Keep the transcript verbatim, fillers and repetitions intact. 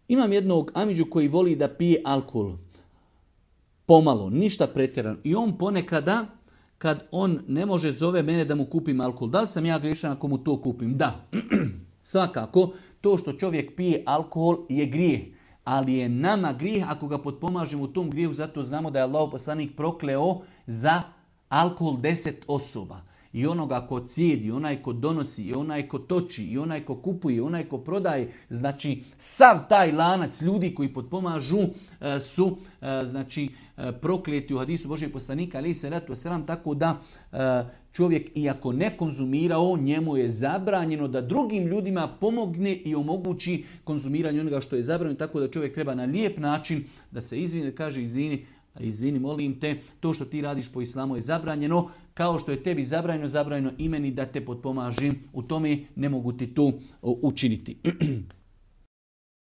Imam jednog amidžu koji voli da pije alkohol. Pomalo, ništa pretjerano. I on ponekada, kad on ne može, zove mene da mu kupim alkohol. Da li sam ja griješan ako mu to kupim? Da. Svakako, to što čovjek pije alkohol je grijeh. Ali je nama grijeh ako ga potpomažemo u tom grijehu. Zato znamo da je Allahov poslanik prokleo za alkohol deset osoba. I onoga ko cijedi, onaj ko donosi, i onaj ko toči, i onaj ko kupuje, i onaj ko prodaje. Znači, sav taj lanac ljudi koji potpomažu su znači, prokleti u hadisu Božijeg poslanika, ali se ratu sram, tako da čovjek, iako ne konzumirao, njemu je zabranjeno da drugim ljudima pomogne i omogući konzumiranje onoga što je zabranjeno, tako da čovjek treba na lijep način da se izvini, da kaže izvini, izvini, molim te, to što ti radiš po islamu je zabranjeno, kao što je tebi zabranjeno, zabranjeno i meni da te potpomažim u tome, ne mogu ti to učiniti.